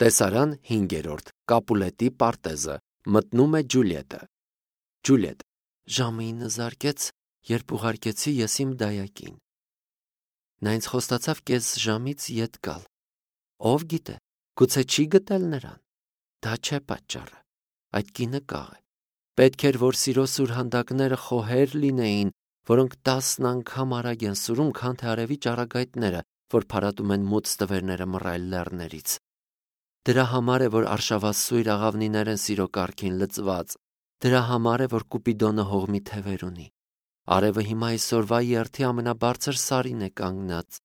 Տեսարան 5. Կապուլետի պարտեզը։ Մտնում է Ջուլիետը։ Ջուլիետ. ժամը 9 զարկեց, երբ ուղարկեցի ես իմ դայակին։ Նա ինձ խոստացավ կես ժամից ետ գալ։ Ով գիտե, գուցե չի գտել նրան։ Դա չէ պատճառը։ Այդ կինը կաղ է։ Պետք էր, որ սիրո սուրհանդակները խոհեր լինեին, որոնք 10 անգամ արագ են սուրում, քան թե արևի ճառագայթները, որ փարատում են մութ ստվերները մռայլ լեռներից։ Դրա համար է, որ արշավասույր աղավնիներ են սիրո կարգին լծված։ Դրա համար է, որ Կուպիդոնը հողմի թևեր ունի։ Արևը հիմա այսօրվա երթի ամենաբարձր սարին է կանգնած։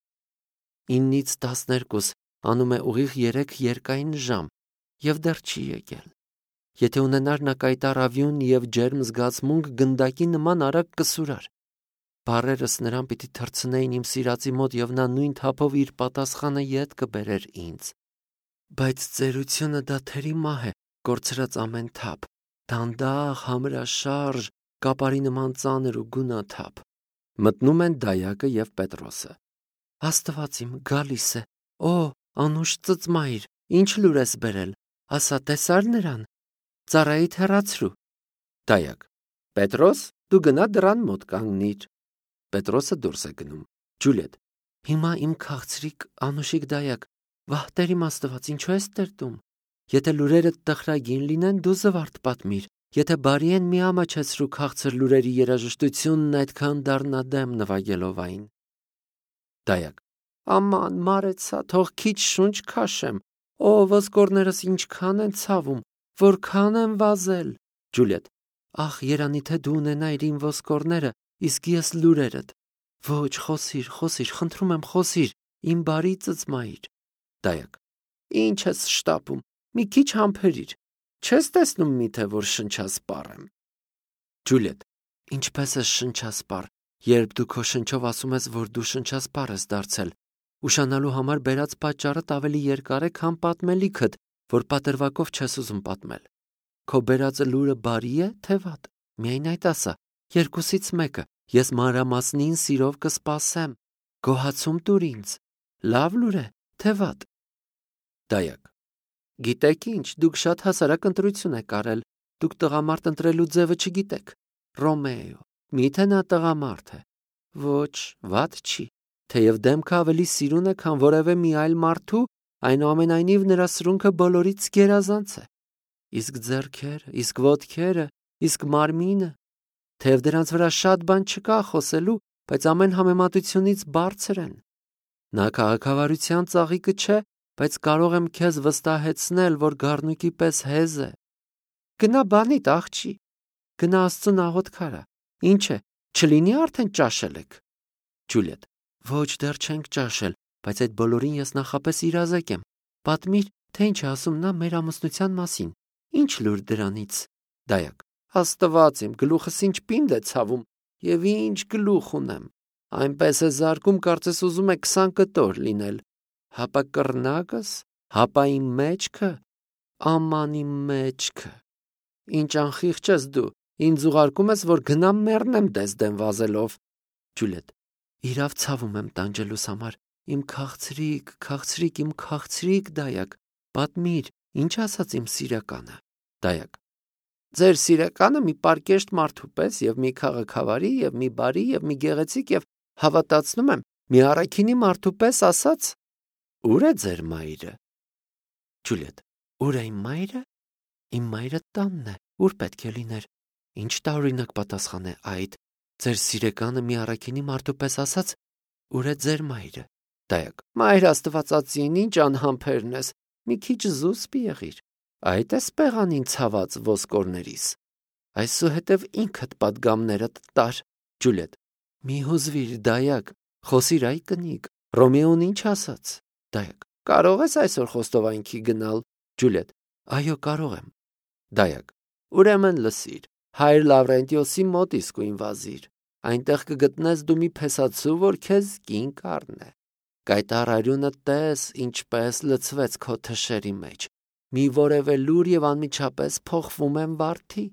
9-ից 12 անում է ուղիղ 3 երկայն ժամ և դեռ չի եկել։ Եթե ունենար նա կայտառ ավյուն և ջերմ զգացմունք, գնդակի նման արագ կսուրար։ Բառերս նրան պիտի թռցնեին իմ սիրածի մոտ, և նա նույն թափով իր պատասխանը ետ կբերեր ինձ։ Բայց ծերությունը դաթերի մահ է, կորցրած ամեն թափ, դանդաղ, համրաշարժ, կապարի նման ծանր ու գունաթափ։ Մտնում են Դայակը և Պետրոսը։ Աստված իմ, գալիս է։ Օ, անուշ ծծմայր, ինչ լուր ես բերել, ասա, տեսա՞ր նրան։ Ծառայիդ հեռացրու։ Դայակ. Պետրոս, դու գնա դռան մոտ կանգնիր։ Պետրոսը դուրս է գնում։ Ջուլիետ. հիմա իմ քաղցրիկ անուշիկ դայակ, վահ Տեր իմ Աստված, ինչու ես տրտում։ Եթե լուրերդ տխրագին լինեն, դու զվարթ պատմիր, եթե բարի են, մի ամաչեցրու քաղցր լուրերի երաժշտությունն այդքան դառնադեմ նվագելով այն։ Դայակ. Աման, մարեցա, թող քիչ շունչ քաշեմ։ Օ, ոսկորներս ինչքան են ցավում, որքան եմ վազել։ Ջուլիետ. ախ, երանի թե դու ունենայիր իմ ոսկորները, իսկ ես լուրերդ։ Ոչ, խոսիր, խնդրում եմ, խոսիր, իմ բարի ծծմայր։ Դայակ. Ինչ ես շտապում, մի քիչ համբերիր, չես տեսնում միթե, որ շնչասպառ եմ։ Ջուլիետ. ինչպես ես շնչասպառ, երբ դու քո շնչով ասում ես, որ դու շնչասպառ ես դարձել։ Ուշանալու համար բերած պատճառդ ավելի երկար է, քան պատմելիքդ, որ պատրվակով չես ուզում պատմել։ Քո բերածը լուրը բարի է, թե վատ։ Միայն այդ ասա, երկուսից մեկը, ես մանրամասնին սիրով կսպասեմ։ Գոհացում տուր ինձ, լավ լուր է, թե վատ։ Դայակ. գիտեք ինչ, դուք շատ հասարակ ընտրություն եք արել, դուք տղամարդ ընտրելու ձևը չգիտեք։ Ռոմեո, միթե նա տղամարդ է։ Ոչ, վատ չի, թեև դեմքը ավելի սիրուն է, քան որևէ մի այլ մարդու, այնուամենայնիվ նրա սրունքը բոլորից գերազանց է։ Իսկ ձեռքերը, իսկ ոտքերը, իսկ մարմինը, թեև դրանց վրա շատ բան չկա խոսելու, բայց ամեն համեմատությունից բարձր են։ Նա քաղաքավարության ծաղիկը չէ, բայց կարող եմ քեզ վստահեցնել, որ գառնուկի պես հեզ է։ Գնա բանիդ, աղջի, գնա Աստծուն աղոթք արա։ Ինչ է, չլինի արդեն ճաշել եք։ Ջուլիետ. ոչ, դեռ չենք ճաշել, բայց այդ բոլորին ես նախապես իրազեկ եմ։ Պատմիր, թե ինչ է ասում նա մեր ամուսնության մասին։ Ինչ լուր դրանից։ Դայակ. Աստված իմ, գլուխս ինչ պինդ է ցավում, և ինչ գլուխ ունեմ։ Այնպես է զարկում, կարծես ուզում է 20 կտոր լինել։ Հապա կռնակս, հապա իմ մեջքը, աման իմ մեջքը։ Ինչ անխիղճ ես դու, ինձ ուղարկում ես, որ գնամ մեռնեմ դեսդեն վազելով։ Ջուլիետ. իրավ ցավում եմ տանջելուս համար, իմ քաղցրիկ դայակ, պատմիր, ինչ ասաց իմ սիրականը։ Դայակ. ձեր սիրականը մի պարկեշտ մարդու պես, և մի քաղաքավարի, և մի բարի, և մի գեղեցիկ, և հավատացնում եմ, մի առաքինի մարդու պես ասաց. ուր է ձեր մայրը։ Ջուլիետ. ուր է իմ մայրը։ Իմ մայրը տանն է, ուր պետք է լիներ։ Ինչ տարօրինակ պատասխան է այդ։ Ձեր սիրեկանը մի առաքինի մարդու պես ասաց. ուր է ձեր մայրը։ Դայակ. մայր Աստվածածին, ինչ անհամբերն ես, մի քիչ զուսպ եղիր։ Այդ է սպեղանին ցաված ոսկորներիս։ Այսուհետև ինքդ պատգամներդ տար։ Ջուլիետ. մի հուզվիր, դայակ, խոսիր այ կնիկ, Ռոմեոն ինչ ասաց։ Դայակ. կարող ես այսօր խոստովանքի գնալ։ Ջուլիետ. այո, կարող եմ։ Դայակ. ուրեմն լսիր, հայր Լավրենտիոսի մոտ իսկույն վազիր։ Այնտեղ կգտնես դու մի փեսացու, որ քեզ կին կառնե։ Կայտառ արյունը տես, ինչպես լցվեց քո թշերի մեջ։ Մի որևէ լուր և անմիջապես փոխվում եմ վարդի։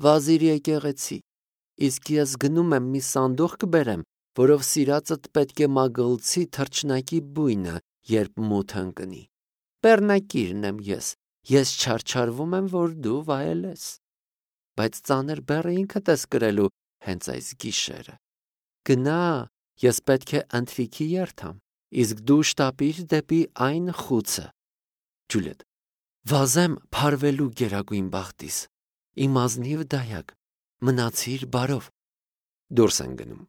Վազիր եկեղեցի, իսկ ես գնում եմ մի սանդուղք կբերեմ, որով սիրածդ պետք է մագլցի թռչնակի բույնը, երբ մութ ընկնի։ Բեռնակիրն եմ ես չարչարվում եմ, որ դու վայելես։ Բայց ծանր բեռը ինքդ ես կրելու հենց այս գիշերը։ Գնա, ես պետք է ընթրիքի երթամ, իսկ դու շտապիր դեպի այն խուցը։ Ջուլիետ. վազեմ փարվելու գերագույն բախտիս, իմ ազնիվ դայակ, մնացիր բարով։ Դուրս են գնում։